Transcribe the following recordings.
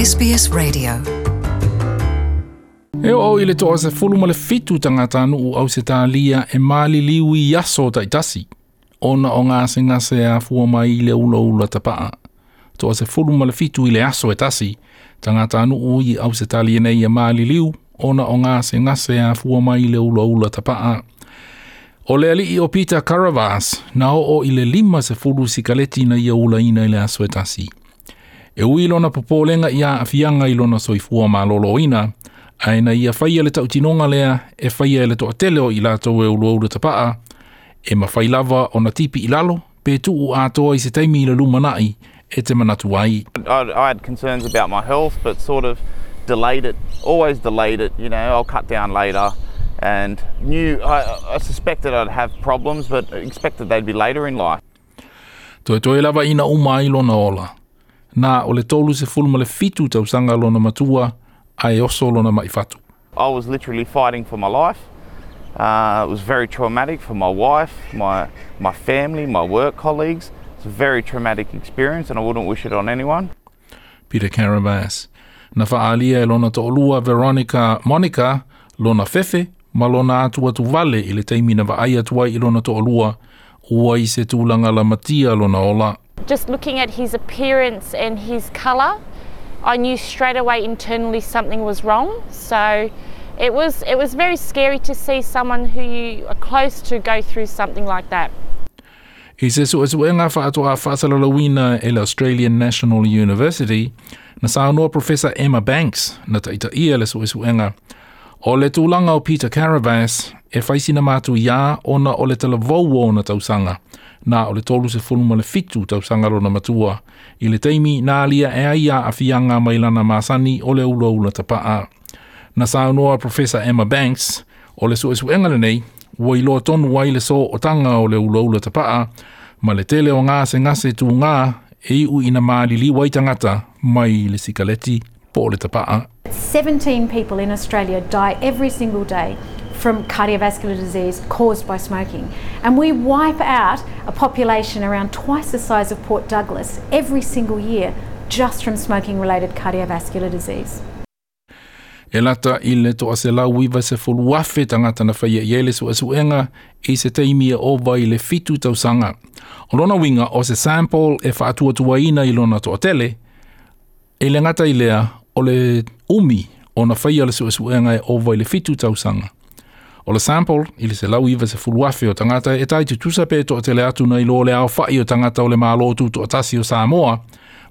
SBS Radio. E oo i le 17 tagatanuu Ausetalia e maliliu i aso taitasi, ona o gasegase afua mai i le ulaula tapaa. 17 i le aso e tasi, tagatanuu i Ausetalia nei e maliliu, ona o gasegase afua mai i le ulaula tapaa. O le alii o Peter Karavas na oo i le 50 sikaleti na ia ulaina i le aso e tasi. E ui lona popolega i aafiaga i lona soifua malōlōina, ae na ia faia le tautinoga lea e faia e le toatele o i latou e ulaula tapaa, e mafai lava ona tipi i lalo, pe tuu atoa i se taimi i le lumanai e te manatu ai. I had concerns about my health, but sort of delayed it, always delayed it, I'll cut down later. And knew, I suspected I'd have problems, but expected they'd be later in life. Toetoe lava ina uma ai lona ola. Na o le 37 tausaga lona matua, ae oso lona maifatu. I was literally fighting for my life. It was very traumatic for my wife, my family, my work colleagues. It's a very traumatic experience and I wouldn't wish it on anyone. Peter Karavas. Na faalia e lona to'olua Veronica Monica, lona fefe, ma lona atu atu vale i le taimi na vaai atu ai i lona to'olua, ua i se tulaga lamatia lona ola. Just looking at his appearance and his colour, I knew straight away internally something was wrong. So it was very scary to see someone who you are close to go through something like that. I se suesuega faatoa faasalalauina e le Australian National University, na saunoa Professor Emma Banks na taitaia le suesuega. O le tulaga o Peter Karavas e faisina matu ia ona o le talavou o ona tausaga, na o le 37 tausaga lona matua, i le taimi na alia e ai aafiaga mai lana masani o le ulaula tapaa. Na saunoa Professor Emma Banks, o le suesuega lenei, ua iloa tonu ai le sootaga o le ulaula tapaa, ma le tele o gasegase tugā e iu ina maliliu ai tagata mai le sikaleti po o le tapaa. 17 people in Australia die every single day from cardiovascular disease caused by smoking. And we wipe out a population around twice the size of Port Douglas every single year just from smoking-related cardiovascular disease. E lata i le 190,000 tagata na faia i ai le suesuega i se taimi e ova i le 7 tausaga. O lona uiga o se sample e faatuatuaina i lona toatele, e le gata i lea o le umi ona faia le suesuega e ova i le 7 tausaga. O le sample i le 190,000 o tagata e tai tutusa pe toatele atu na iloa le aofa'i o tagata o le Malo Tutoatasi o Samoa,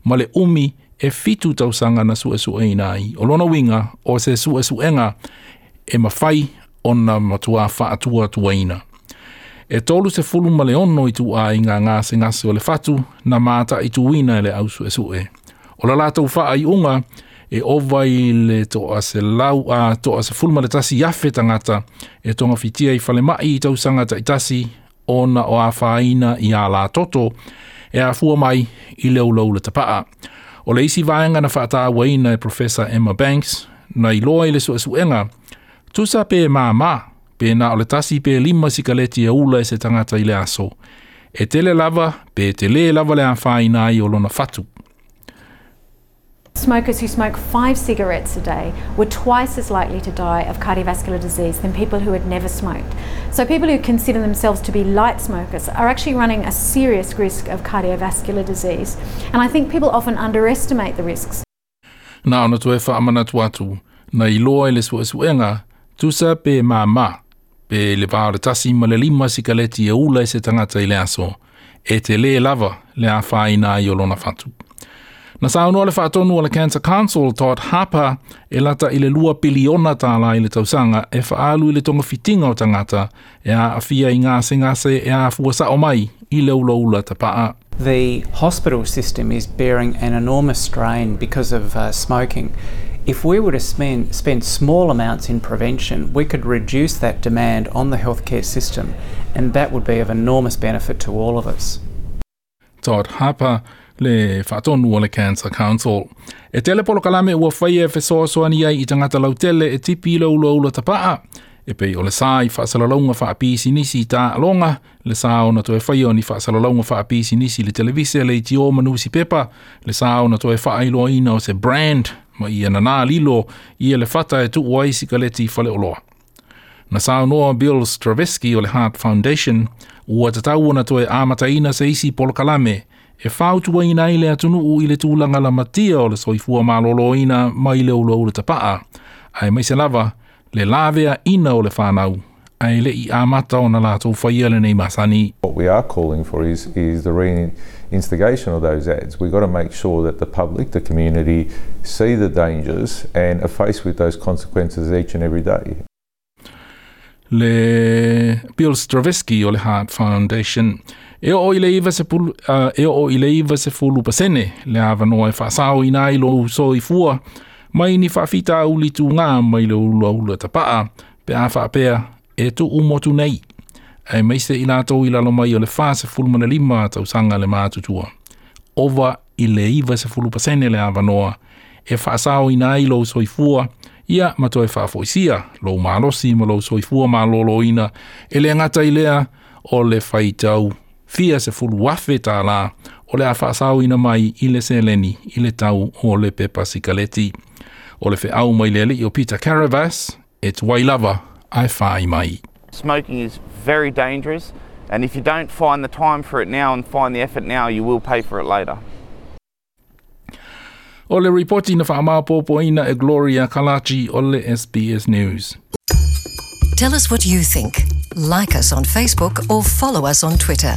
ma le umi e 7 tausaga na suesueina ai. O lona uiga o se suesuega e mafai ona matua faatuatuaina. E 36 ituaiga gasegase o le fatu na mataituina e le ausuesue. O la latou faaiuga e ova i le 111,000 tagata e togafitia i falemai i tausaga taitasi ona o afaina i a latoto e afua mai i le ulaula tapaa. O le isi vaega na faatauaina e Professor Emma Banks na iloa i le suesuega, tusa pe māmā, pe na o le 1 pe 5 sikaleti e ula e se tagata i le aso. E tele lava, pe tele lava le afaina ai o lona fatu. Smokers who smoke 5 cigarettes a day were twice as likely to die of cardiovascular disease than people who had never smoked. So people who consider themselves to be light smokers are actually running a serious risk of cardiovascular disease. And I think people often underestimate the risks. Na ona toe faamanatu atu, na iloa i le suesuega, tusa pe māmā, pe le va o le 1 ma le 5 sikaleti e ula e se tagata i le aso, e te le lava le afaina ai o lona fatu. Na saunoa le faatonu o le Cancer Council Todd Harper e lata i le 2 piliona tālā i le tausaga e faalu i le togafitiga o tagata e aafia i gasegase e afua sao mai i le ulaula tapaa. The hospital system is bearing an enormous strain because of smoking. If we were to spend small amounts in prevention, we could reduce that demand on the healthcare system, and that would be of enormous benefit to all of us. Todd Harper le faatonu o le Cancer Council. E tele polokalame ua faia e fesoasoani ai i tagata lautele e tipi i le ulaula tapaa. E pei o le sa i faasalalauga faapisinisi i taaloga, le sa ona toe faia o ni faasalalauga faapisinisi i le televise, le itio ma nusipepa, le sa ona toe faailoaina o se brand Ma ia nanā lilo ia le fata e tuu ai sikaleti i faleoloa. Na saunoa Bill Stravinsky o le Heart Foundation, ua tatau ona toe amataina se isi polokalame e fautuaina ai le atunuu i le tulaga lamatia o le soifua malōlōina mai le ulaula tapaa, aemaise lava le laveaina o le fanau, ae le'i amata ona latou faia lenei masani. What we are calling for is the reinstigation of those ads. We've got to make sure that the public, the community, see the dangers and are faced with those consequences each and every day. Le Bill Stravinsky o le Heart Foundation. E oo i le 90, e oo i le 90% le avanoa e faasaoina ai lou soifua mai ni faafitauli tugā mai le ulaula tapaa pe a faapea e tuu motu nei. Aemaise i latou i lalo mai o le 45 tausaga le matutua. Ova i le 90% le avanoa e faasaoina ai lou soifua ia ma toe faafoisia lou malosi ma lou soifua malōlōina e le gata i lea o le faitau fia 10,000 tālā o le a faasaoina mai i le seleni i le tau o le pepa sikaleti. O le feau mai le alii o Peter Karavas, e tuai lava ae fai mai. Smoking is very dangerous, and if you don't find the time for it now and find the effort now, you will pay for it later. O le ripoti na faamaopoopoina e Gloria Kalachi o le SBS News. Tell us what you think. Like us on Facebook or follow us on Twitter.